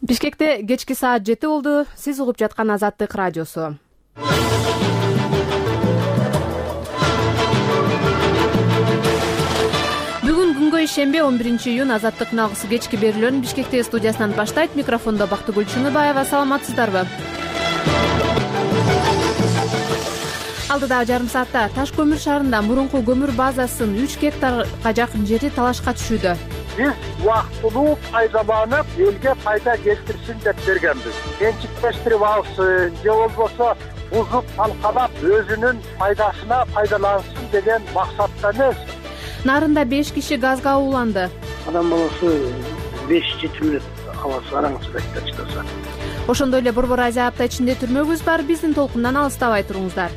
Бишкекте кечки саат 7 болду. Сиз угуп жаткан Азаттык радиосу. Бүгүн күнгө ишембе 11-июнь Азаттыктын алгысы кечки берүүлөрүн Бишкектеги студиясынан баштайт. Микрофондо Бактыгүл Чыныбаева. Саламатсыздарбы? Алдыдагы жарым саатта Таш көмүр шаарында мурунку көмүр базасынын 3 гектарга жакын жери талашка түшүүдө. Биз убактылуу пайдаланып, элге пайда келтирсин деп бергенбиз. Менчиктештирип алсын, же болбосо бузуп талкалап өзүнүн пайдасына пайдалансын деген максатта эмес. Нарында 5 киши газга ууланды. Адам баласы 5-7 мүнөт аласы араңызда чыдаса. Ошондой эле Борбор Азия апта ичинде түрмөгүбүз бар. Биздин толкундан алыстабай туруңуздар.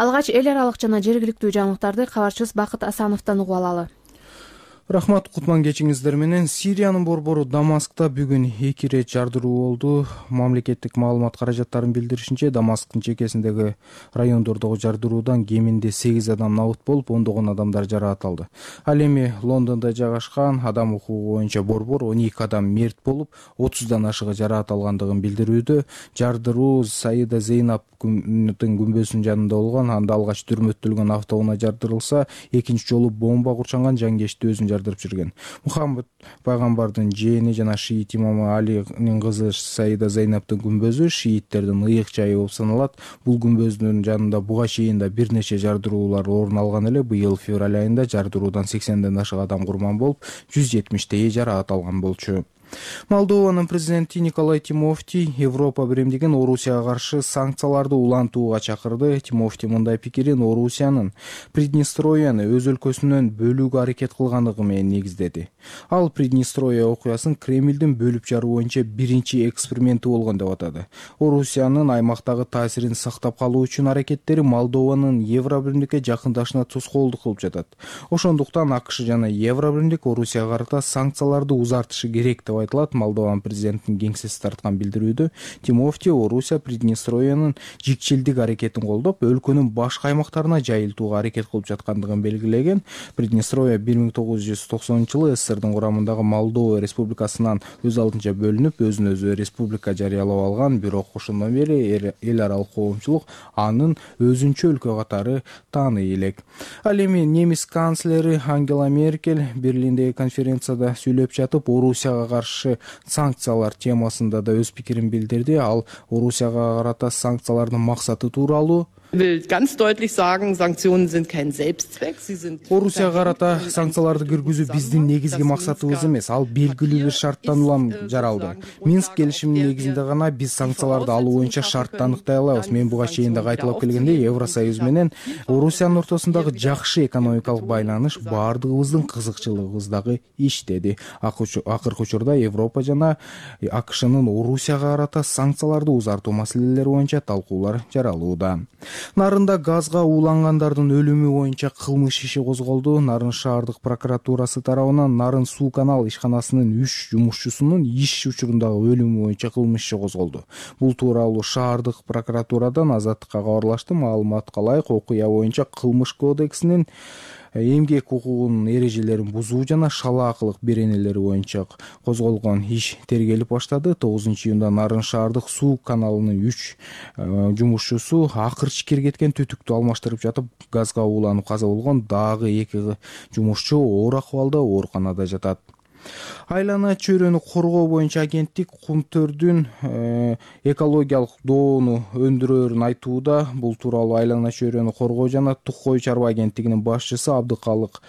Алгач эл аралык жана жергиликтүү жаңылыктарды кабарчыбыз Бакыт Асановдон угуп алалы. Рахмат, кутман кечиңиздер менен. Сириянын борбору Дамаскта бүгүн 2 ирет жардыруу болду. Мамлекеттик маалымат каражаттарын билдиришинче, Дамасктын чекесиндеги райондордогу жардыруудан кеминде 8 адам набыт болуп, ондогон адамдар жараат алды. Ал эми Лондондо жайгашкан адам укугу боюнча борбор 12 адам мерт болуп, 30дан ашыгы жараат алгандыгын билдирүүдө. Жардыруу Саида Зейнабдын күмбөзүнүн жанында болгон, анда алгач түрмөттөлгөн автоунаа жардырылса, экинчи жолу бомба курчанган жангечти өзүн жардырып жүргөн. Мухаммад пайгамбардын жээни жана шиит имамы Алинин кызы Саида Зейнабдын күмбөзү шииттердин ыйык жайы болуп саналат. Бул күмбөздүн жанында буга чейин да бир нече жардыруулар орун алган эле. Быйыл февраль айында жардыруудан 80ден ашык адам курман болуп, 170 жараат алган болчу. Молдованын президенти Николай Тимофти Европа биримдигин Орусияга каршы санкцияларды улантууга чакырды. Тимофти мындай пикирин Орусиянын Приднестровияны өз өлкөсүнөн бөлүүгө аракет кылгандыгы менен негиздеди. Ал Приднестровия окуясын Кремлдин бөлүп жаруу боюнча биринчи эксперименти болгон деп атады. Орусиянын аймактагы таасирин сактап калуу үчүн аракеттери Молдованын Евробиримдикке жакындашына тоскоолдук кылып жатат. Ошондуктан АКШ жана Евробиримдик Орусияга карата санкцияларды узартышы керек деп айтылат. Молдован президентинин кеңсеси тарткан билдирүүдө Тимофти Орусия Приднестровиянын жикчилдик аракетин колдоп, өлкөнүн башка аймактарына жайылтууга аракет кылып жаткандыгын белгилеген. Приднестровия 1990-жылы СССРдин курамындагы Молдова республикасынан өз алдынча бөлүнүп, өзүн өзү республика жарыялап алган, бирок ошондон бери эл аралык коомчулук анын өзүнчө өлкө катары тааный элек. Ал эми немис канцлери Ангела Меркель Берлиндеги конференцияда сүйлөп жатып, Орусияга каршы санкциялар темасында да өз пикирин билдирди. Ал Орусияга карата санкциялардын максаты тууралуу will ganz deutlich sagen, Sanktionen sind kein Selbstzweck, sie sind Орусияга карата санкцияларды киргизүү биздин негизги максатыбыз эмес, ал белгилүү бир шарттан улам жаралды. Минск келишиминин негизинде гана биз санкцияларды алуу боюнча шартты аныктай алабыз. Мен буга чейин да кайталап келгендей, Евросоюз менен Орусиянын ортосундагы жакшы экономикалык байланыш баардыгыбыздын кызыкчылыгыбыздагы иш деди. Акыркы учурда Европа жана АКШнын Орусияга карата санкцияларды узартуу маселелери боюнча талкуулар жаралууда. Нарында газга уулангандардын өлүмү боюнча кылмыш иши козголду. Нарын шаардык прокуратурасы тарабынан Нарын суу канал ишканасынын 3 жумушчусунун иш учурундагы өлүмү боюнча кылмыш иши козголду. Бул тууралуу шаардык прокуратурадан Азаттыкка кабарлашты. Маалыматка ылайык, окуя боюнча кылмыш кодексинин эмгек укугунун эрежелерин бузуу жана шалаакылык беренелери боюнча козголгон иш тергелип баштады. 9-июнда Нарын шаардык суу каналынын 3 жумушчусу акырчы киргеткен түтүктү алмаштырып жатып, газга ууланып каза болгон. Дагы 2 жумушчу оор акыбалда ооруканада жатат. Айлана чөйрөнү коргоо боюнча агенттик кумтөрдүн экологиялык доону өндүрөөрүн айтууда. Бул тууралуу Айлана чөйрөнү коргоо жана тук кой чарба агенттигинин башчысы Абдыкалык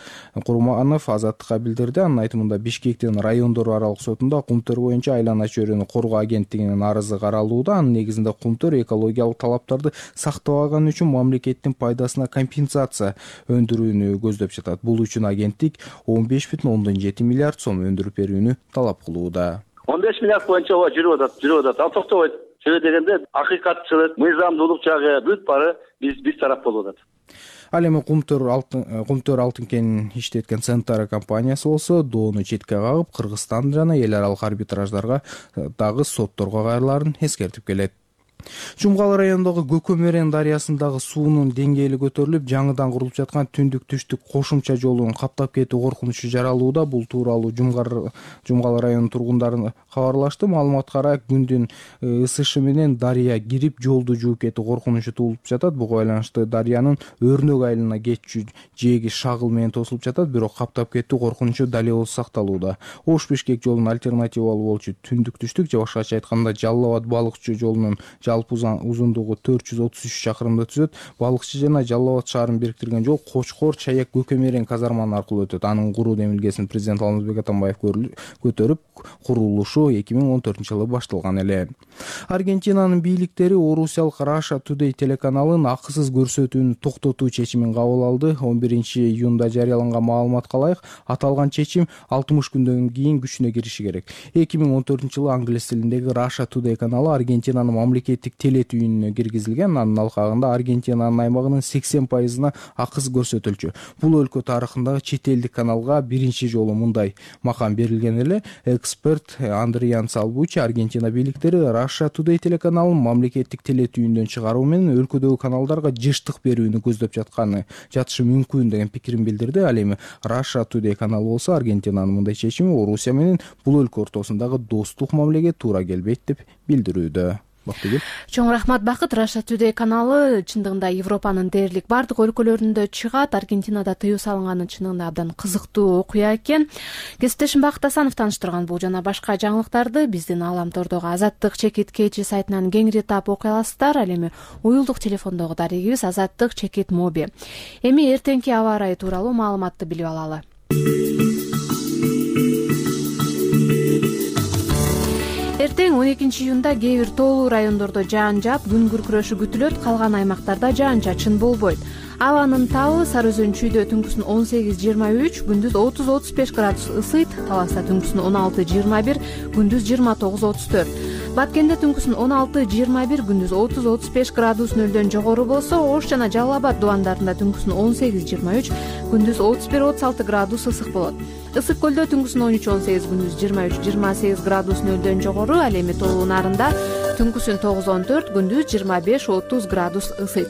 Курманов Азаттыкка билдирди. Анын айтымында Бишкектин райондор аралык сотунда кумтөр боюнча Айлана чөйрөнү коргоо агенттигинин арызы каралууда. Анын негизинде кумтөр экологиялык талаптарды сактабаганы үчүн мамлекеттин пайдасына компенсация өндүрүүнү көздөп жатат. Бул үчүн агенттик 15,7 миллиард сом өндүрүп берүүнү талап кылууда. 15 миллиард боюнча жүрүп атат. Ал токтобойт. Себеби дегенде акыйкатчылык, мыйзамдуулук жагы бүт бары биз тарап болуп атат. Ал эми Кумтөр алтын кенин иштеткен Центара компаниясы болсо доону четке кагып, Кыргызстан жана эл аралык арбитраждарга дагы сотторго кайрылаарын эскертип келет. Жумгал районундагы Көкөмөрен дарыясындагы суунун деңгээли көтөрүлүп, жаңыдан курулуп жаткан түндүк-түштүк кошумча жолун каптап кетүү коркунучу жаралууда. Бул тууралуу Жумгал районунун тургундары кабарлашты. Маалыматка ырайы күндүн ысышы менен дарыя кирип, жолду жууп кетүү коркунучу туулуп жатат. Буга байланыштуу дарыянын Өрнөк айылына кетчү жээги шагыл менен тосулуп жатат, бирок каптап кетүү коркунучу дал эле сакталууда. Ош-Бишкек жолунун альтернативалуу болчу түндүк-түштүк же башкача айтканда Жалал Абад балыкчы жолунун жалпы узундугу 433 чакырымды түзөт. Балыкчы жана Жалал Абад шаарын бириктирген жол Кочкор, Чаяк, Көкөмөрен казарманы аркылуу өтөт. Анын куруу демилгесин президент Алмазбек Атамбаев көтөрүп, курулушу 2014-жылы башталган эле. Аргентинанын бийликтери Орусиялык Russia Today телеканалын акысыз көрсөтүүнү токтотуу чечимин кабыл алды. 11-июнда жарыяланган маалыматка ылайык, аталган чечим 60 күндөн кийин күчүнө кириши керек. 2014-жылы англис тилиндеги Russia Today каналы Аргентинанын мамлекеттик теле түйүнүнө киргизилген. Анын алкагында Аргентинанын аймагынын 80% акысыз көрсөтүлчү. Бул өлкө тарыхындагы чет элдик каналга биринчи жолу мындай макам берилген эле. Эксперт Андриан Салбучи Аргентина бийликтери Russia Today телеканалын мамлекеттик теле түйүндөн чыгаруу менен өлкөдөгү каналдарга жыштык берүүнү көздөп жатышы мүмкүн деген пикирин билдирди. Ал эми Russia Today каналы болсо Аргентинанын мындай чечими Орусия менен бул өлкө ортосундагы достук мамилеге туура келбейт деп билдирүүдө. Чоң рахмат Бакыт. Russia Today каналы чындыгында Европанын дээрлик бардык өлкөлөрүндө чыгат. Аргентинада тыюу салынганы чындыгында абдан кызыктуу окуя экен. Кесиптешим Бакыт Асанов тааныштырган бул жана башка жаңылыктарды биздин Ааламтордогу Азаттык чекит KG сайтынан кеңири таап окуй аласыздар. Ал эми уюлдук телефондогу дарегибиз Азаттык чекит моби. Эми эртеңки аба ырайы тууралуу маалыматты билип алалы. Эртең 12-июнда кээ бир тоолуу райондордо жаан жаап, күн күркүрөшү күтүлөт, калган аймактарда жаан-чачын болбойт. Абанын табы Сары Өзөн чүйдө түнкүсүн 18-23, күндүз 30-35 градус ысыйт, Таласта түнкүсүн 16-21, күндүз 29-34. Баткенде түнкүсүн 16-21, күндүз 30-35 градус нөлдөн жогору болсо, Ош жана Жалал Абад дубандарында түнкүсүн 18-23, күндүз 31-36 градус ысык болот. Ысык көлдө түнкүсүн 13-18, күндүз 23-28 градус нөлдөн жогору, ал эми тоолуу нарында түнкүсүн 9-14, күндүз 25-30 градус ысыйт.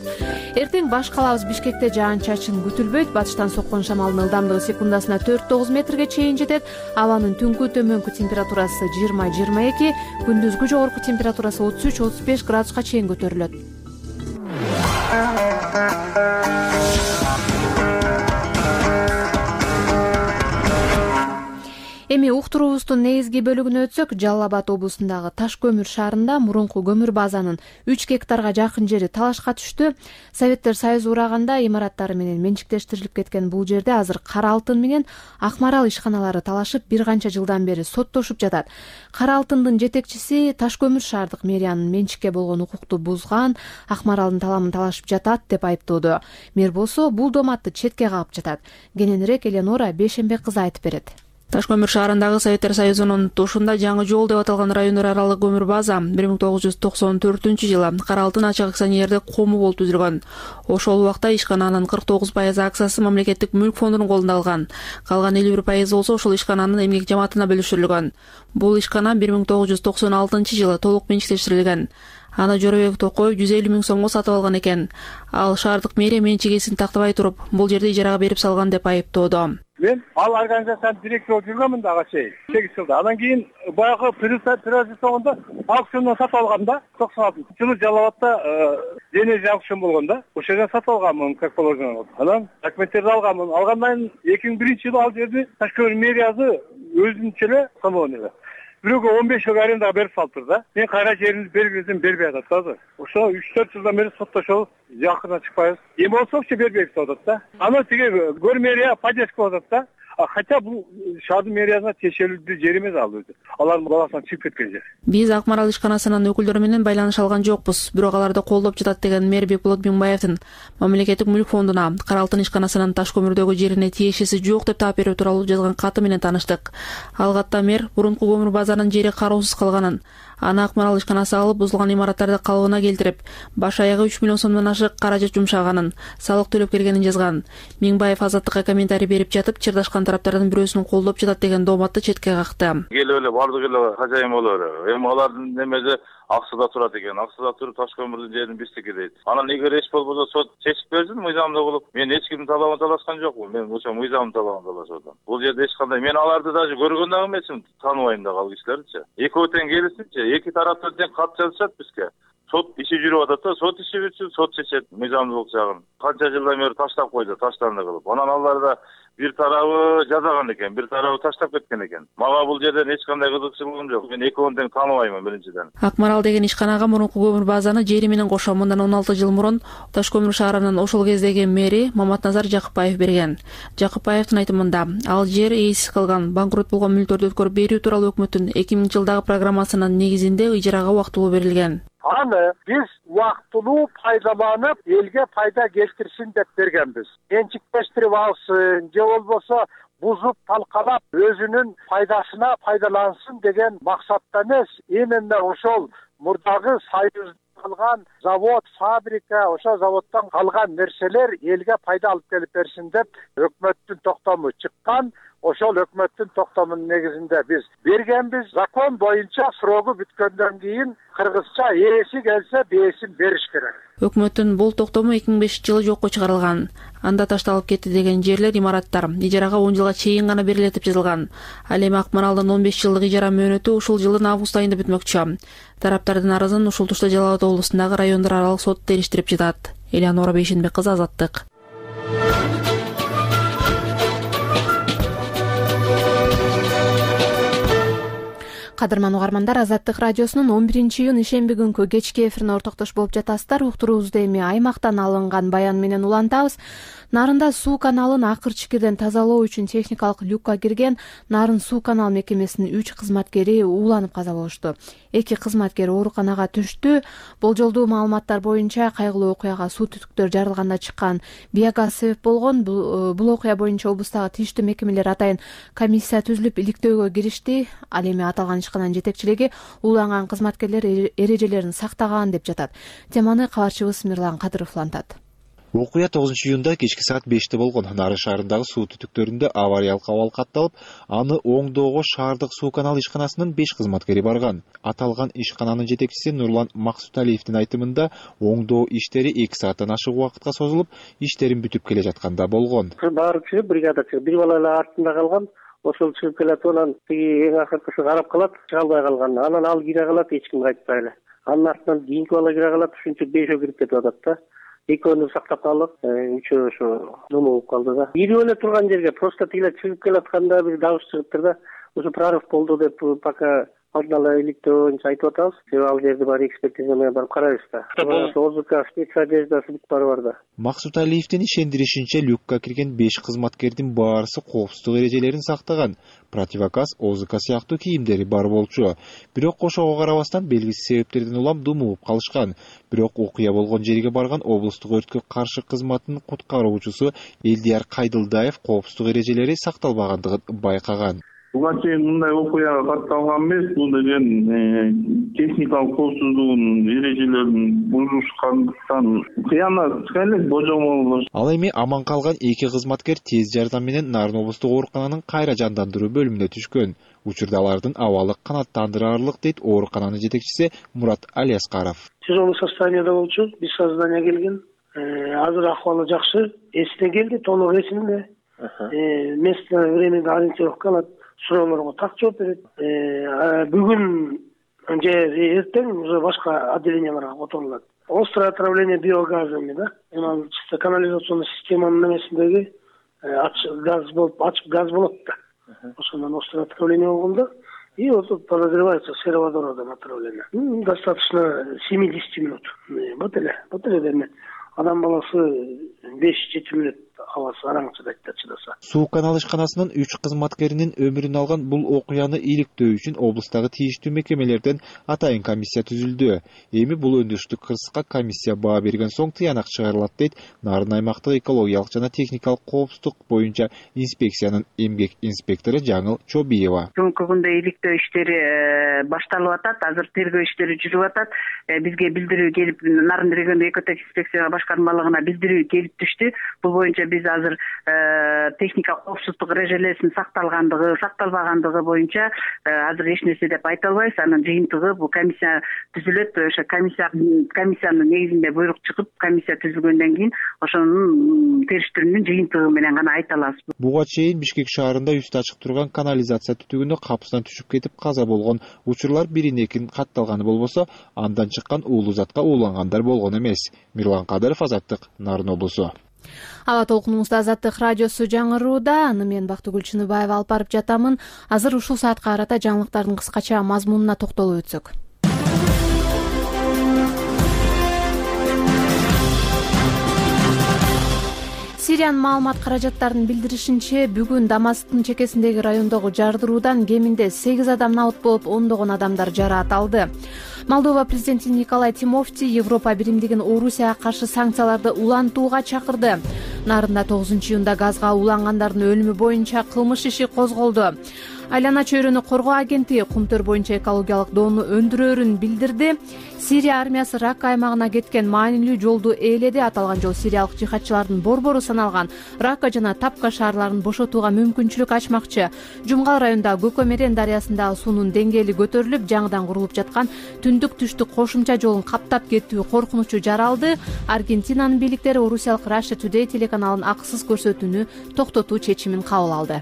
Эртең баш калабыз Бишкекте жаан-чачын күтүлбөйт. Батыштан соккон шамалдын ылдамдыгы секундасына 4-9 метрге чейин жетет. Абанын түнкү төмөнкү температурасы 20-22, күндүзгү жогорку температурасы 33-35 градуска чейин көтөрүлөт. Эми уктуруубуздун негизги бөлүгүнө өтсөк, Жалал Абад облусундагы Таш көмүр шаарында мурунку көмүр базанын 3 гектарга жакын жери талашка түштү. Советтер Союзу ураганда имараттары менен менчиктештирилип кеткен бул жерде азыр Кара алтын менен Ак Марал ишканалары талашып, бир канча жылдан бери соттошуп жатат. Кара алтындын жетекчиси Таш көмүр шаардык мэриянын менчикке болгон укукту бузган, Ак Маралдын таламын талашып жатат деп айыптоодо. Мэр болсо бул доматты четке кагып жатат. Кененирээк Эленора Бейшембек кызы айтып берет. Таш көмүр шаарындагы Советтер Союзунун тушунда жаңы жол деп аталган райондор аралык көмүр база 1994-жылы Кара алтын ачык акционердик кому болуп түзүлгөн. Ошол убакта ишкананын 49% акциясы мамлекеттик мүлк фондунун колунда калган. Калган 51% болсо ошол ишкананын эмгек жамаатына бөлүштүрүлгөн. Бул ишкана 1996-жылы толук менчиктештирилген. Аны Жоробек Токоев 150 000 сомго сатып алган экен. Ал шаардык мэрия менчигесин тактабай туруп, бул жерди ижарага берип салган деп айыптоодо. Мен ал организациянын директору болуп жүргөмүн ага чейин 8 жылда. Андан кийин баягы приватизация соңунда аукциондон сатып алгам да, 96-жылы Жалал Абадта денеж аукцион болгон да. Ошол жерден сатып алганмын, как положено. Анан документтерди алганмын. Алгандан 2001-жылы ал жерди Таш көмүр мэриясы өзүнчө эле салган эле. Бирөөгө 15 жыл арендаға берип салыптыр да. Мен кайра жеримди бергизим, бербей атат да. Ошо 3-4 жылдан бери соттошобуз, жакына чыкпайбыз. Эми болсочу бербейбиз деп атат да. Аны тиги көр мэрия поддержка кылып атат да. Хотя бул шаардын мэриясына тиешелүү жер эмес ал өзү. Алардын баласынан чыгып кеткен жер. Биз Ак Марал ишканасынын өкүлдөрү менен байланыш алган жокпуз. Бирок аларды колдоп жатат деген мэр Бекболот Миңбаевдин мамлекеттик мүлк фондуна Кара алтын ишканасынын Таш көмүрдөгү жерине тиешеси жок деп таап берүү тууралуу жазган каты менен тааныштык. Ал катта мэр мурунку көмүр базанын жери кароосуз калганын, аны Ак Марал ишканасы алып бузулган имараттарды калыбына келтирип, баш аягы 3 миллион сомдон ашык каражат жумшаганын, салык төлөп келгенин жазган. Миңбаев Азаттыкка комментарий берип жатып, чырдашкан тараптардын бирөөсүн колдоп жатат деген дооматты четке какты. Келип эле бардык эле кажайым боло берет. Эми алардын немеси ак сууда турат экен. Ак сууда туруп таш көмүрдүн жерин биздики дейт. Анан эгер эч болбосо сот чечип берсин мыйзамдуу кылып. Мен эч кимдин талабын талашкан жокмун. Мен ошо мыйзамдын талабын талашып атам. Бул жерде эч кандай мен аларды даже көргөн дагы эмесмин, тааныбайм дагы ал кишилердичи. Экөө тең келишсинчи, эки тараптан тең кат жазышат бизге. Сот иши жүрүп атат да, сот иши бүтсүн, сот чечет мыйзамдуулук жагын. Канча жылдан бери таштап койду, таштанды кылып. Анан алар да бир тарабы жазаган экен, бир тарабы таштап кеткен экен. Мага бул жерден эч кандай кызыкчылыгым жок. Мен экөөнү тең тааныбайм биринчиден. Акмарал деген ишканага мурунку көмүр базаны жери менен кошо мындан 16 жыл мурун Таш көмүр шаарынын ошол кездеги мэри Маматназар Жакыпбаев берген. Жакыпбаевдин айтымында, ал жер ээсиз калган, банкрот болгон мүлктөрдү өткөрүп берүү тууралуу өкмөттүн 2000-жылдагы программасынын негизинде ыжырага убактылуу берилген. Аны биз убактылуу пайдаланып, элге пайда келтирсин деп бергенбиз. Менчиктештирип алсын, же болбосо бузуп талкалап өзүнүн пайдасына пайдалансын деген максатта эмес, именно ошол мурдагы союз калган завод, фабрика, ошол заводдон калган нерселер элге пайда алып келип берсин деп өкмөттүн токтому чыккан. Ошол өкмөттүн токтомунун негизинде биз бергенбиз. Закон боюнча срогу бүткөндөн кийин кыргызча ээси келсе бээсин бериш керек. Өкмөттүн бул токтому 2005-жылы жокко чыгарылган. Анда ташталып кетти деген жерлер, имараттар ижарага 10 жылга чейин гана берилет деп жазылган. Ал эми Акмаралдын 15 жылдык ижара мөөнөтү ушул жылдын август айында бүтмөкчү. Тараптардын арызын ушул тушта Жалал Абад облусундагы райондор аралык сот териштирип жатат. Элеонора Бейшенбек кызы, Азаттык. Кадырман угармандар, Азаттык радиосунун 11-июнь ишемби күнкү кечки эфирине ортоктош болуп жатасыздар. Уктуруубузду эми аймактан алынган баян менен улантабыз. Нарында суу каналын акыр чикирден тазалоо үчүн техникалык люкка кирген Нарын суу канал мекемесинин 3 кызматкери ууланып каза болушту. 2 кызматкер ооруканага түштү. Болжолдуу маалыматтар боюнча кайгылуу окуяга суу түтүктөр жарылганда чыккан биогаз себеп болгон. Бул окуя боюнча облустагы тийиштүү мекемелер атайын комиссия түзүлүп иликтөөгө киришти. Ал эми аталган ишкананын жетекчилиги ууланган кызматкерлер эрежелерин сактаган деп жатат. Теманы кабарчыбыз Мирлан Кадыров улантат. Окуя 9-июнда кечки саат 5-те болгон. Нарын шаарындагы суу түтүктөрүндө авариялык абал катталып, аны оңдоого шаардык суу канал ишканасынын 5 кызматкери барган. Аталган ишкананын жетекчиси Нурлан Максуталиевдин айтымында, оңдоо иштери 2 сааттан ашык убакытка созулуп, иштерин бүтүп келе жатканда болгон. Баары чыгып, бригада чыгып, бир бала эле артында калган. Ошол чыгып келет, анан тиги эң акыркысы карап калат, чыга албай калган. Анан ал кире калат, эч ким кайтпай эле. Анын артынан кийинки бала кире калат, ушунча 5 кирип кетип атат да. Экөөнү сактап калып, үчөө ошо нема болуп калды да. Ирип эле турган жерге просто тигиле чыгып келатканда бир дабыш чыгыптыр да. Ошо прорыв болду деп пока алдын ала иликтөө боюнча айтып атабыз. Ал жерди баары экспертиза менен барып карайбыз да. ОЗК спецодеждасы бүт баары бар да. Максуталиевдин ишендиришинче, люкка кирген 5 кызматкердин баарысы коопсуздук эрежелерин сактаган. Противогаз, ОЗК сыяктуу кийимдери бар болчу. Бирок ошого карабастан белгисиз себептерден улам думуп калышкан. Бирок окуя болгон жерге барган облустук өрткө каршы кызматтын куткаруучусу Элдияр Кайдылдаев коопсуздук эрежелери сакталбагандыгын байкаган. Буга чейин мындай окуяга катталган эмес. Бул деген техникалык коопсуздугунун эрежелерин бузушкандыктан кыянат элек божомол. Ал эми аман калган 2 кызматкер тез жардам менен Нарын облустук оорукананын кайра жандандыруу бөлүмүнө түшкөн. Учурда алардын абалы канааттандырарлык, дейт оорукананын жетекчиси Мурат Алиаскаров. Тяжелый состояниеда болчу, без сознания келген. Азыр акыбалы жакшы, эсине келди, толук эсинде. Место, времени ориентировка алат, суроолорго так жооп берет. Бүгүн же эртең уже башка отделенияларга которулат. Острое отравление биогазами, да? Чисто канализационный системанын эмесиндеги газ болуп, ачык газ болот да. Ошондон острое отравление болгондо, и вот подозревается сероводородом отравление. Достаточно 70 минут. Вот эле деме. Адам баласы 5-7 мүнөт абасы араң чыдайт да чыдаса. Суу канал ишканасынын 3 кызматкеринин өмүрүн алган бул окуяны иликтөө үчүн облустагы тийиштүү мекемелерден атайын комиссия түзүлдү. Эми бул өндүрүштүк кырсыкка комиссия баа берген соң тыянак чыгарылат, дейт Нарын аймактык экологиялык жана техникалык коопсуздук боюнча инспекциянын эмгек инспектору Жаңыл Чобиева. Бүгүнкү күндө иликтөө иштери башталып атат, азыр тергөө иштери жүрүп атат. Бизге билдирүү келип, Нарын региондук экотех инспекция башкармалыгына билдирүү келип түштү. Бул боюнча биз биз азыр техника коопсуздук эрежелеринин сакталбагандыгы боюнча азыр эч нерсе деп айта албайбыз. Анын жыйынтыгы бул комиссия түзүлөт. Ошо комиссиянын негизинде буйрук чыгып, комиссия түзүлгөндөн кийин ошонун териштирүүнүн жыйынтыгы менен гана айта алабыз. Буга чейин Бишкек шаарында үстү ачык турган канализация түтүгүндө капыстан түшүп кетип каза болгон учурлар бирин-экин катталганы болбосо, андан чыккан уулуу затка уулангандар болгон эмес. Мирлан Кадыров, Азаттык, Нарын облусу. Аба толкунубузда Азаттык радиосу жаңырууда. Аны мен Бактыгүл Чыныбаева алып барып жатамын. Азыр ушул саатка карата жаңылыктардын кыскача мазмунуна токтолуп өтсөк. Сириянын маалымат каражаттарынын билдиришинче, бүгүн Дамасктын чекесиндеги райондогу жардыруудан кеминде 8 адам набыт болуп, ондогон адамдар жараат алды. Молдова президенти Николай Тимофти Европа биримдигин Орусияга каршы санкцияларды улантууга чакырды. Нарында 9-июнда газга улангандардын өлүмү боюнча кылмыш иши козголду. Айлана чөйрөнү коргоо агенттиги Кумтөр боюнча экологиялык доону өндүрөөрүн билдирди. Сирия армиясы Ракка аймагына кеткен маанилүү жолду ээледи. Аталган жол сириялык жихадчылардын борбору саналган Ракка жана Тапка шаарларын бошотууга мүмкүнчүлүк ачмакчы. Жумгал районундагы Көкөмерен дарыясындагы суунун деңгээли көтөрүлүп, жаңыдан курулуп жаткан түндүк-түштүк кошумча жолун каптап кетүү коркунучу жаралды. Аргентинанын бийликтери орусиялык Russia Today телеканалынын акысыз көрсөтүүнү токтотуу чечимин кабыл алды.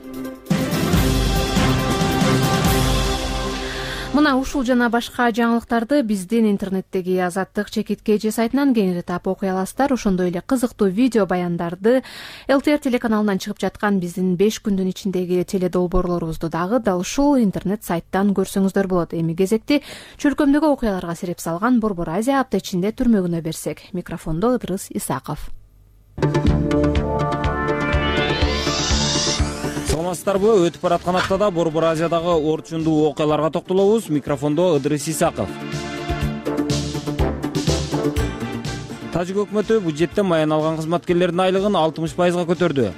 Мына ушул жана башка жаңылыктарды биздин интернеттеги Азаттык ЧКТ сайтынан кеңири таап окуй аласыздар. Ошондой эле кызыктуу видео баяндарды ЛТР телеканалынан чыгып жаткан биздин 5 күндүн ичиндеги теледолбоорлорубузду дагы дал ушул интернет сайттан көрсөңүздөр болот. Эми кезекти чөлкөмдөгү окуяларга сереп салган Борбор Азия апта ичинде түрмөгүнө берсек. Микрофондо Ыдырыс Исаков. Саламатсыздарбы? Өтүп бараткан аптада Борбор Азиядагы орчундуу окуяларга токтолобуз. Микрофондо Ыдырыс Исаков. Тажик өкмөтү бюджеттен маян алган кызматкерлердин айлыгын 60%га көтөрдү.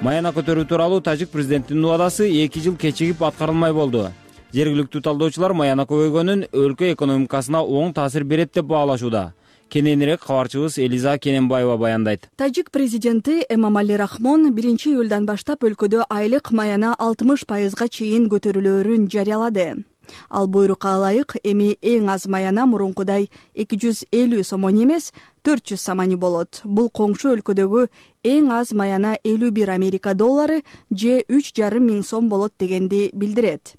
Маяна көтөрүү тууралуу тажик президентинин убадасы 2 жыл кечигип аткарылмай болду. Жергиликтүү талдоочулар маяна көбөйгөнүн өлкө экономикасына оң таасир берет деп баалашууда. Кененирээк кабарчыбыз Элиза Кененбаева баяндайт. Тажик президенти Эмомали Рахмон 1-июлдан баштап өлкөдө айлык маяна 60%га чейин көтөрүлөөрүн жарыялады. Ал буйрукка ылайык эми эң аз маяна мурункудай 250 сомон эмес 400 сомони болот. Бул коңшу өлкөдөгү эң аз маяна 51 Америка доллары же 3,5 миң сом болот дегенди билдирет.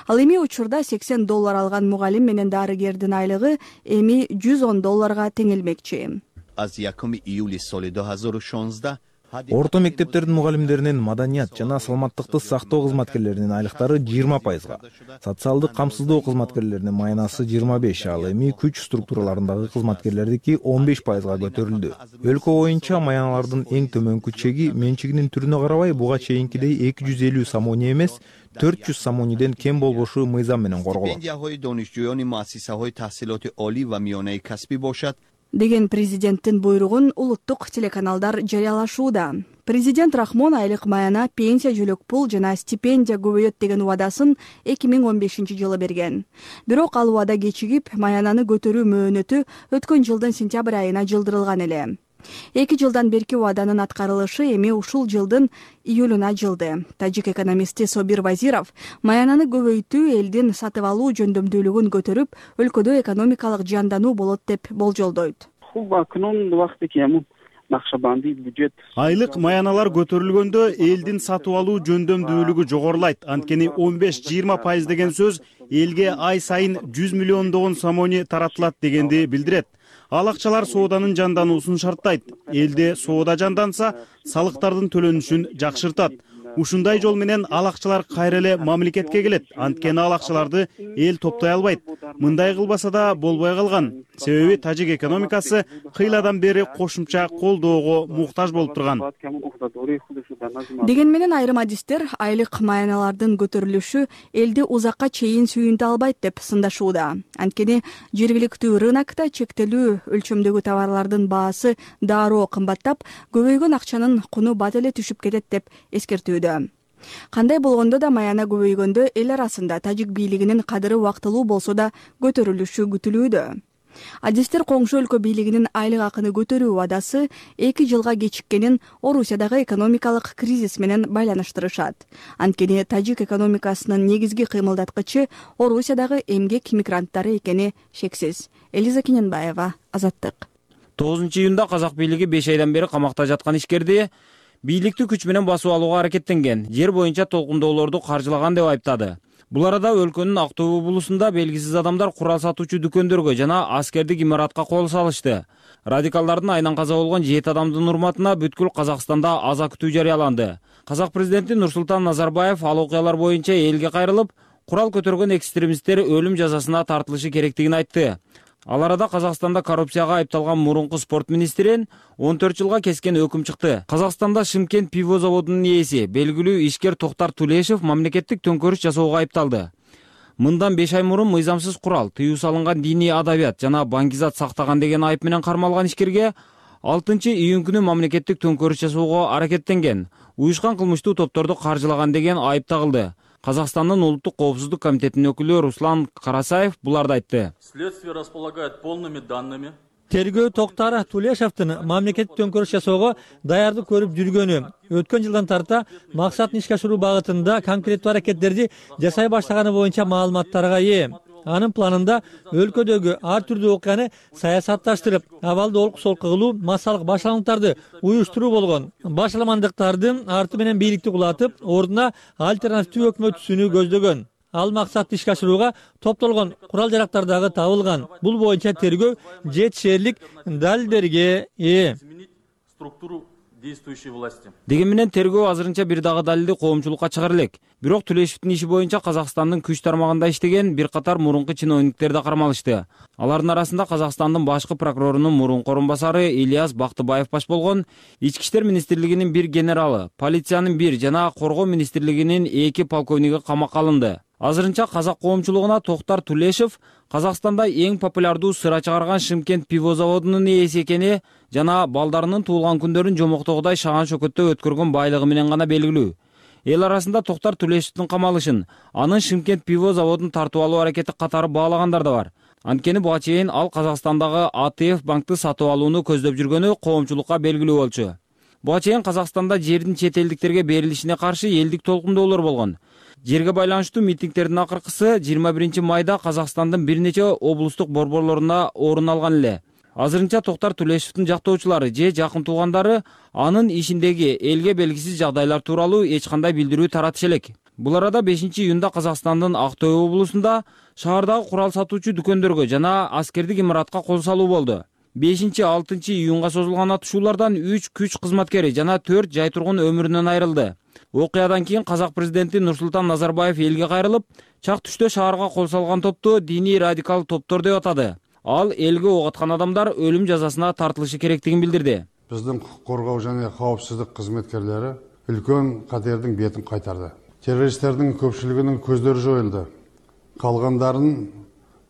Ал эми учурда $80 алган мугалим менен дарыгердин айлыгы эми $110 теңелмекчи. Орто мектептердин мугалимдеринин маданият жана саламаттыкты сактоо кызматкерлеринин айлыктары 20%га, социалдык камсыздоо кызматкерлеринин маянасы 25%, ал эми күч структураларындагы кызматкерлердики 15%га көтөрүлдү. Өлкө боюнча маяналардын эң төмөнкү чеги менчигинин түрүнө карабай буга чейинкидей 250 сомони эмес 400 сомониден кем болбошу мыйзам менен корголот деген президенттин буйругун улуттук телеканалдар жарыялашууда. Президент Рахмон айлык маяна, пенсия, жөлөк пул жана стипендия көбөйөт деген убадасын 2015-жылы берген. Бирок ал убада кечигип, маянаны көтөрүү мөөнөтү өткөн жылдын сентябрь айына жылдырылган эле. 2 жылдан берки убаданын аткарылышы эми ушул жылдын июлуна жылды. Тажик экономисти Собир Вазиров маянаны көбөйтүү элдин сатып алуу жөндөмдүүлүгүн көтөрүп, өлкөдө экономикалык жандануу болот деп болжолдойт. Айлык маяналар көтөрүлгөндө элдин сатып алуу жөндөмдүүлүгү жогорулайт. Анткени 15-20% деген сөз элге ай сайын 100 миллиондогон сомони таратылат дегенди билдирет. Ал акчалар сооданын жандануусун шарттайт. Элде соода жанданса, салыктардын төлөнүшүн жакшыртат. Ушундай жол менен ал акчалар кайра эле мамлекетке келет. Анткени ал акчаларды эл топтой албайт. Мындай кылбаса да болбой калган. Себеби тажик экономикасы кыйладан бери кошумча колдоого муктаж болуп турган. Деген менен айрым адистер айлык маяналардын көтөрүлүшү элди узакка чейин сүйүнтө албайт деп сындашууда. Анткени жергиликтүү рынокто чектелүү өлчөмдөгү товарлардын баасы дароо кымбаттап, көбөйгөн акчанын куну бат эле түшүп кетет деп эскертүүдө. Кандай болгондо да маяна көбөйгөндө эл арасында тажик бийлигинин кадыры убактылуу болсо да көтөрүлүшү күтүлүүдө. Адистер коңшу өлкө бийлигинин айлык акыны көтөрүү убадасы 2 жылга кечиккенин Орусиядагы экономикалык кризис менен байланыштырышат. Анткени тажик экономикасынын негизги кыймылдаткычы Орусиядагы эмгек мигранттары экени шексиз. Элиза Кененбаева, Азаттык. 9-июнда казак бийлиги 5 айдан бери камакта жаткан ишкерди бийликти күч менен басып алууга аракеттенген, жер боюнча толкундоолорду каржылаган деп айыптады. Бул арада өлкөнүн Актой облусунда белгисиз адамдар курал сатуучу дүкөндөргө жана аскердик имаратка кол салышты. Радикалдардын айынан каза болгон 7 адамдын урматына бүткүл Казакстанда аза күтүү жарыяланды. Казак президенти Нурсултан Назарбаев ал окуялар боюнча элге кайрылып, курал көтөргөн экстремисттер өлүм жазасына тартылышы керектигин айтты. Ал арада Казакстанда коррупцияга айыпталган мурунку спорт министрин 14 жылга кескен өкүм чыкты. Казакстанда Шымкент пиво заводунун ээси, белгилүү ишкер Токтар Тулешев мамлекеттик төңкөрүш жасоого айыпталды. Мындан 5 ай мурун мыйзамсыз курал, тыюу салынган диний адабият жана баңгизат сактаган деген айып менен кармалган ишкерге 6-июнь күнү мамлекеттик төңкөрүш жасоого аракеттенген, уюшкан кылмыштуу топторду каржылаган деген айып тагылды. Казакстандын улуттук коопсуздук комитетинин өкүлү Руслан Карасаев буларды айтты. Следствие располагает полными данными. Тергөө Токтар Тулешевдин мамлекеттик төңкөрүш жасоого даярдык көрүп жүргөнү, өткөн жылдан тарта максатын ишке ашыруу багытында конкреттүү аракеттерди жасай баштаганы боюнча маалыматтарга ээ. Анын планында өлкөдөгү ар түрдүү окуяны саясатташтырып, абалды олку-солку кылуу, массалык башаламдыктарды уюштуруу болгон. Башаламандыктардын арты менен бийликти кулатып, ордуна альтернативдүү өкмөт түзүүнү көздөгөн. Ал максатты ишке ашырууга топтолгон курал-жарактар дагы табылган. Бул боюнча тергөө жетишерлик далилдерге ээ. Деген менен тергөө азырынча бир дагы далилди коомчулукка чыгара элек. Бирок Тулешевдин иши боюнча Казакстандын күч тармагында иштеген бир катар мурунку чиновниктер да кармалышты. Алардын арасында Казакстандын башкы прокурорунун мурунку орун басары Ильяс Бактыбаев баш болгон, Ички иштер министрлигинин бир генералы, полициянын бир жана коргоо министрлигинин 2 полковниги камакка алынды. Азырынча казак коомчулугуна Токтар Тулешев Казакстанда эң популярдуу сыра чыгарган Шымкент пиво заводунун ээси экени жана балдарынын туулган күндөрүн жомоктогудай шаган шөкөттө өткөргөн байлыгы менен гана белгилүү. Эл арасында Токтар Тулешевдин камалышын, анын Шымкент пиво заводун тартып алуу аракети катары баалагандар да бар. Анткени буга чейин ал Казакстандагы АТФ банкты сатып алууну көздөп жүргөнү коомчулукка белгилүү болчу. Буга чейин Казакстанда жердин чет элдиктерге берилишине каршы элдик толкундоолор болгон. Жерге байланыштуу митингдердин акыркысы 21 майда Казакстандын бир нече облустук борборлорунда орун алган эле. Азырынча Токтар Тулешевдин жактоочулары же жакын туугандары анын ишиндеги элге белгисиз жагдайлар тууралуу эч кандай билдирүү таратыш элек. Бул арада 5-июнда Казакстандын Актой облусунда шаардагы курал сатуучу дүкөндөргө жана аскердик имаратка кол салуу болду. 5-6 июнга созулган атышуулардан 3 күч кызматкери жана 4 жай тургун өмүрүнөн айрылды. Окуядан кийин казак президенти Нурсултан Назарбаев элге кайрылып, чак түштө шаарга кол салган топту диний радикал топтор деп атады. Ал элге ок аткан адамдар өлүм жазасына тартылышы керектигин билдирди. Биздин укук коргоо жана коопсуздук кызматкерлери үлкөн катердин бетин кайтарды. Террористтердин көпчүлүгүнүн көздөрү жоюлду. Калгандарын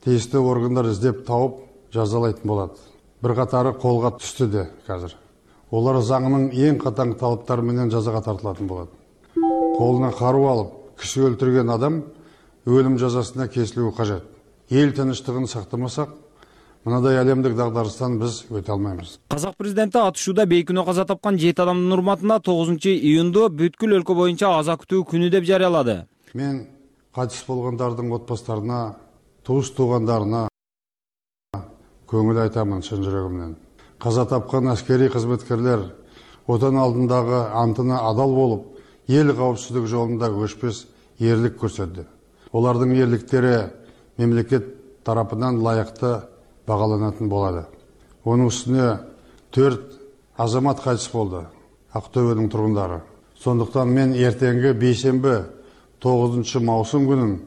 тийиштүү органдар издеп тауып жазалайтын болот. Бир катары колго түштү де азыр. Олар заңынын эң катаң талаптары менен жазага тартылатын болот. Колуна каруу алып, киши өлтүргөн адам өлүм жазасына кесилүү кажет. Эл тынчтыгын сактамасак, мындай әлемдик дагдарыстан биз өтө алмайбыз. Казак президенти атышууда бейкүнөө каза тапкан 7 адамдын урматына 9-июнду бүткүл өлкө боюнча аза күтүү күнү деп жарыялады. Мен кайтыс болгондордун отбасыларына, туус туугандарына көңүл айтамын чын жүрөгүмдөн. Каза тапкан аскери кызматкерлер отан алдындагы антына адал болуп, эл коопсуздугу жолунда өчпөс эрлик көрсөттү. Олардын эрликтери мемлекет тарапынан лайыкты багаланатын болду. Онун үстүнө 4 азамат кайтыс болду, Актөбөнүн тургундары. Сондуктан мен эртеңки бейшемби 9 маусым күнүн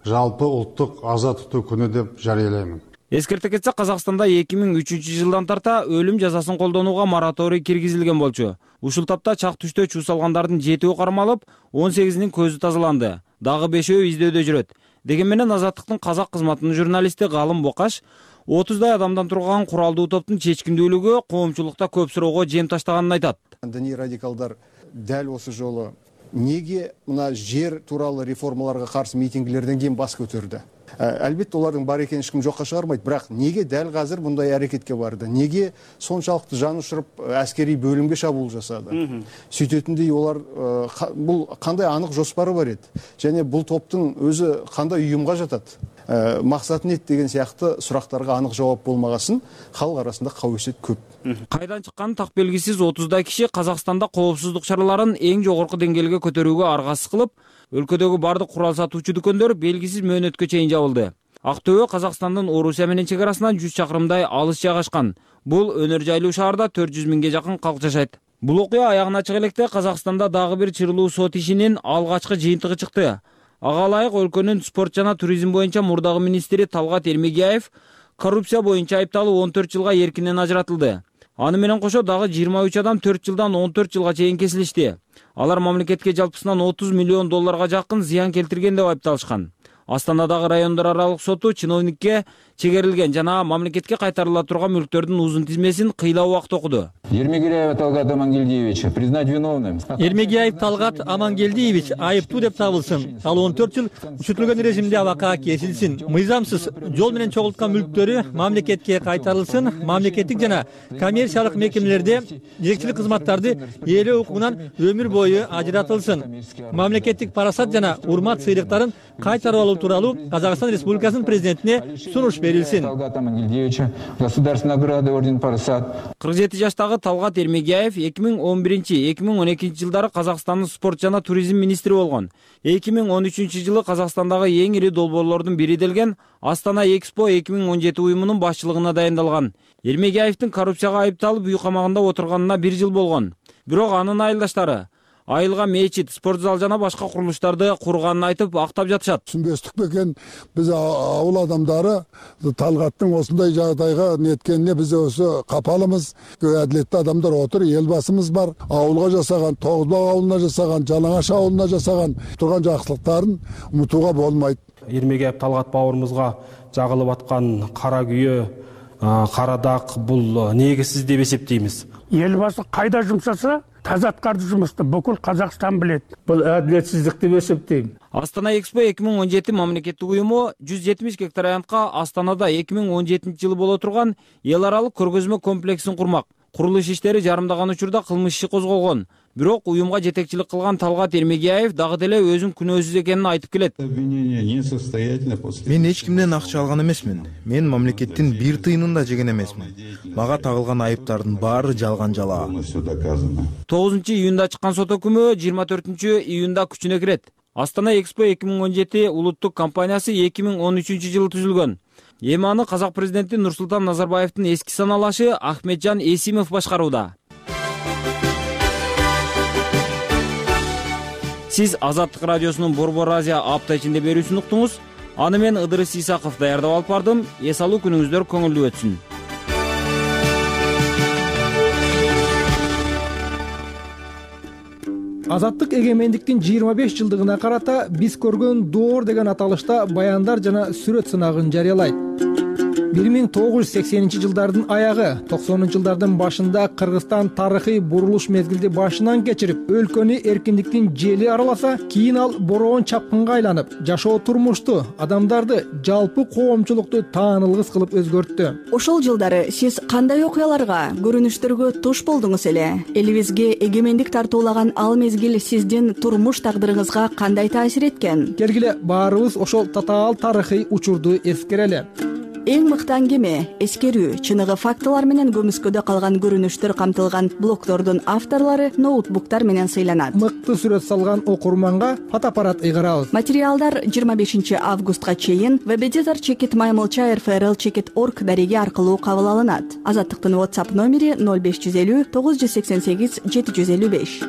жалпы улуттук аза тутуу күнү деп жарыялайм. Эскерте кетсек, Казакстанда 2003 жылдан тарта өлүм жазасын колдонууга мораторий киргизилген болчу. Ушул тапта чак түштө чуу салгандардын 7-і кармалып, 18-нин көзү тазаланды. Дагы 5-і издөөдө жүрөт. Деген менен Азаттыктын казак кызматынын журналисти Галым Бокаш 30дай адамдан турган куралдуу топтун чечкиндүүлүгү коомчулукта көп суроого жем таштаганын айтат. Диний радикалдар дәл осы жолы Неге мына жер тууралуу реформаларга каршы митингилерден кийин бас көтөрдү? Албетте олардын бар экенин эч ким жокко чыгарбайт, бирок неге дал азыр мындай аракетке барды? Неге сончалыктуу жан учуруп аскерий бөлүмгө чабуул жасады? Сүйтөтүндөй олар бул кандай анык жоспары бар эди? Және бул топтун өзү кандай уюмга жатат? Максаты эмне деген сыяктуу сурактарга анык жооп болмагасын халк арасында кабесет көп. Кайдан чыкканы так белгисиз 30 киши Казакстанда коопсуздук чараларын эң жогорку деңгээлге көтөрүүгө аргасыз кылып, өлкөдөгү бардык курал сатуучу дүкөндөр белгисиз мөөнөткө чейин жабылды. Актөбө Казакстандын Орусия менен чек арасынан 100 чакырымдай алыс жайгашкан. Бул өнөр жайлуу шаарда 400 миңге жакын калк жашайт. Бул окуя аягына чыга электе Казакстанда дагы бир чырылуу сот ишинин алгачкы жыйынтыгы чыкты. Ага ылайык өлкөнүн спорт жана туризм боюнча мурдагы министри Талгат Эрмегияев коррупция боюнча айыпталып 14 жылга эркинен ажыратылды. Аны менен кошо дагы 23 адам 4 жылдан 14 жылга чейин кесилишти. Алар мамлекетке жалпысынан 30 миллион долларга жакын зыян келтирген деп айыпталышкан. Астанадагы райондор аралык соту чиновникке чегерилген жана мамлекетке кайтарыла турган мүлктөрдүн узун тизмесин кыйла убакыт окуду. Эрмегияев Талгат Амангелдиевича признать виновным. Эрмегияев Талгат Амангелдиевич айыптуу деп табылсын. Ал 14 жыл күчөтүлгөн режимде абакка кесилсин. Мыйзамсыз жол менен чогулткан мүлктөрү мамлекетке кайтарылсын. Мамлекеттик жана коммерциялык мекемелерде жетекчилик кызматтарды ээлөө укугунан өмүр бою ажыратылсын. Мамлекеттик парасат жана урмат сыйлыктарын кайтарып алуу тууралуу Казакстан Республикасынын президентине сунуш берилсин. Талгат Амангелдиевича государственной награды орден парасат. 47 жаштагы Талгат Эрмегияев 2011-2012 жылдары Казакстандын спорт жана туризм министри болгон. 2013 жылы Казакстандагы эң ири долбоорлордун бири делген Астана Экспо 2017 уюмунун башчылыгына дайындалган. Эрмегияевдин коррупцияга айыпталып үй камагында отурганына 1 жыл болгон. Бирок анын айылдаштары айылга мечит, спорт зал жана башка курулуштарды курганын айтып актап жатышат. Түшүнбөстүк бекен биз ауыл адамдары Талгаттын осундай жагдайга неткенине биз өзү капалымыз. Адилеттүү адамдар отур, эл басымыз бар. Ауылга жасаган, Тогузбак ауылуна жасаган, Жалаңаш ауылуна жасаган турган жакшылыктарын унутууга болбойт. Эрмегияев Талгат бауырымызга жагылып аткан кара күйө, кара дак бул негизсиз деп эсептейбиз. Эл басы кайда жумсаса таза аткарды жумусту бүкүл Казакстан билет. Бул адилетсиздик деп эсептейм. Астана Экспо 2017 мамлекеттик уюму 170 гектар аянтка Астанада 2017 жылы боло турган эл аралык көргөзмө комплексин курмак. Курулуш иштери жарымдаган учурда кылмыш иши козголгон. Бирок уюмга жетекчилик кылган Талгат Эрмегияев дагы деле өзүн күнөөсүз экенин айтып келет. Мен эч кимден акча алган эмесмин. Мен мамлекеттин бир тыйынын да жеген эмесмин. Мага тагылган айыптардын баары жалган жалаа. 9 июнда чыккан сот өкүмү 24 июнда күчүнө кирет. Астана Экспо 2017 улуттук компаниясы 2013 жылы түзүлгөн. Эми аны Казак президенти Нурсултан Назарбаевдин эски саналашы Ахметжан Эсимов башкарууда. Сиз Азаттык радиосунун Борбор Азия апта ичинде берүүсүн уктуңуз. Аны мен Ыдырыс Исаков даярдап алып бардым. Эс алуу күнүңүздөр көңүлдүү өтсүн. Азаттык эгемендиктин 25 жылдыгына карата биз көргөн доор деген аталышта баяндар жана сүрөт сынагын жарыялайт. 1980 жылдардын аягы, 90 жылдардын башында Кыргызстан тарыхый бурулуш мезгилди башынан кечирип, өлкөнү эркиндиктин жели араласа, кийин ал бороон чапкынга айланып, жашоо турмушту, адамдарды, жалпы коомчулукту таанылгыс кылып өзгөрттү. Ошол жылдары сиз кандай окуяларга, көрүнүштөргө туш болдуңуз эле? Элибизге эгемендик тартуулаган ал мезгил сиздин турмуш тагдырыңызга кандай таасир эткен? Келгиле баарыбыз ошол татаал тарыхый учурду эскерели. Эң мыкты аңгеме, эскерүү, чыныгы фактылар менен көмүскөдө калган көрүнүштөр камтылган блогдордун авторлору ноутбуктар менен сыйланат. Мыкты сүрөт салган окурманга фотоаппарат ыйгарабыз. Материалдар 25 августка чейин www.maymolcha.rfrl.org дареги аркылуу кабыл алынат. Азаттыктын WhatsApp номери 0550 988 755.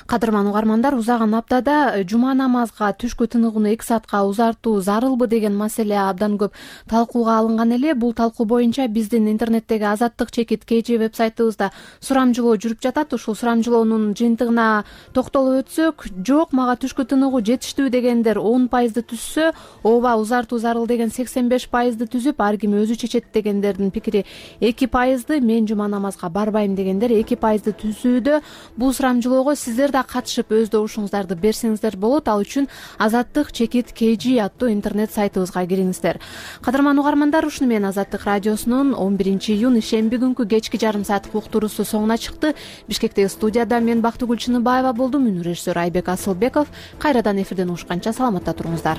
Кадырман угармандар, узаган аптада жума намазга түшкү тыныгууну 2 саатка узартуу зарылбы деген маселе абдан көп талкууга алынган эле. Бул талкуу боюнча биздин интернеттеги Азаттык чекит KG вебсайтыбызда сурамжылоо жүрүп жатат. Ушул сурамжылоонун жыйынтыгына токтолуп өтсөк, жок мага түшкү тыныгуу жетиштүү дегендер 10% түзсө, ооба узартуу зарыл деген 85% түзүп, ар ким өзү чечет дегендердин пикири 2%, мен жума намазга барбайм дегендер 2% түзүүдө. Бул сурамжылоого сиздер да да катышып өз добушуңуздарды берсеңиздер болот. Ал үчүн Азаттык чекит KG аттуу интернет сайтыбызга кириңиздер. Кадырман угармандар, ушуну менен Азаттык радиосунун 11-июнь ишемби күнкү кечки жарым сааттык уктуруусу соңуна чыкты. Бишкектеги студияда мен Бактыгүл Чыныбаева болдум. Үнү режиссер Айбек Асылбеков. Кайрадан эфирден угушканча саламатта туруңуздар.